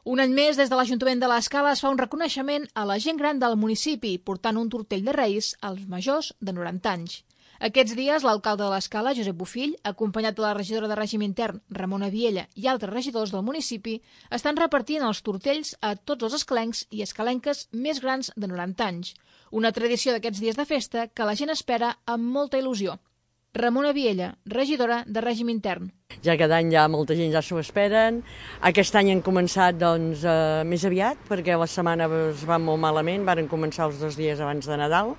Un any més, des de l'Ajuntament de l'Escala es fa un reconeixement a la gent gran del municipi, portant un tortell de Reis als majors de 90 anys. Aquests dies, l'alcalde de l'Escala, Josep Bofill, acompanyat de la regidora de règim intern, Ramona Viella, i altres regidors del municipi, estan repartint els tortells a tots els escalencs i escalenques més grans de 90 anys. Una tradició d'aquests dies de festa que la gent espera amb molta il·lusió. Ramona Viella, regidora de règim intern. Ja cada any molta gent ja s'ho esperen. Aquest any han començat més aviat, perquè la setmana es va molt malament, varen començar els 2 dies abans de Nadal,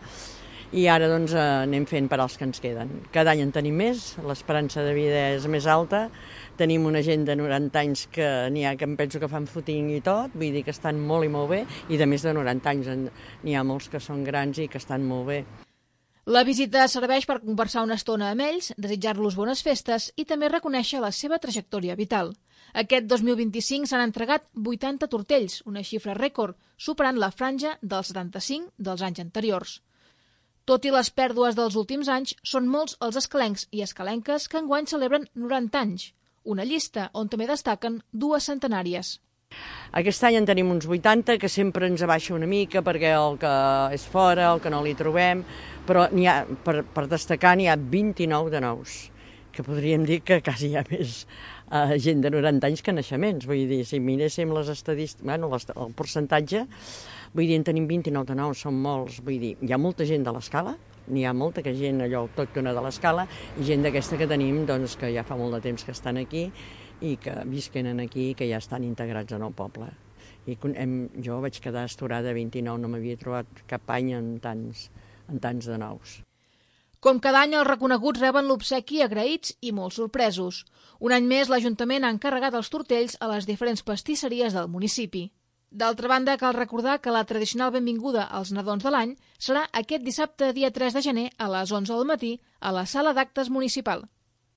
i ara anem fent per als que ens queden. Cada any en tenim més, l'esperança de vida és més alta, tenim una gent de 90 anys que n'hi ha que em penso que fan footing i tot, vull dir que estan molt i molt bé, i de més de 90 anys n'hi ha molts que són grans i que estan molt bé. La visita serveix per conversar una estona amb ells, desitjar-los bones festes i també reconèixer la seva trajectòria vital. Aquest 2025 s'han entregat 80 tortells, una xifra rècord, superant la franja dels 75 dels anys anteriors. Tot i les pèrdues dels últims anys, són molts els escalencs i escalenques que enguany celebren 90 anys, una llista on també destaquen 2 centenàries. Aquest any en tenim uns 80, que sempre ens abaixa una mica perquè el que és fora, el que no li trobem, però per destacar n'hi ha 29 de nous, que podríem dir que quasi hi ha més gent de 90 anys que naixements. Vull dir, si miréssim les estadístiques, el percentatge, vull dir, en tenim 29 de nous, són molts. Vull dir, hi ha molta gent de l'Escala, n'hi ha molta gent allò autòctona de l'Escala, i gent d'aquesta que tenim, que ja fa molt de temps que estan aquí, i que visquen aquí i que ja estan integrats en el poble. I jo vaig quedar astorada 29, no m'havia trobat cap any en tants de nous. Com cada any, els reconeguts reben l'obsequi agraïts i molt sorpresos. Un any més, l'Ajuntament ha encarregat els tortells a les diferents pastisseries del municipi. D'altra banda, cal recordar que la tradicional benvinguda als nadons de l'any serà aquest dissabte, dia 3 de gener, a les 11 del matí, a la sala d'actes municipal.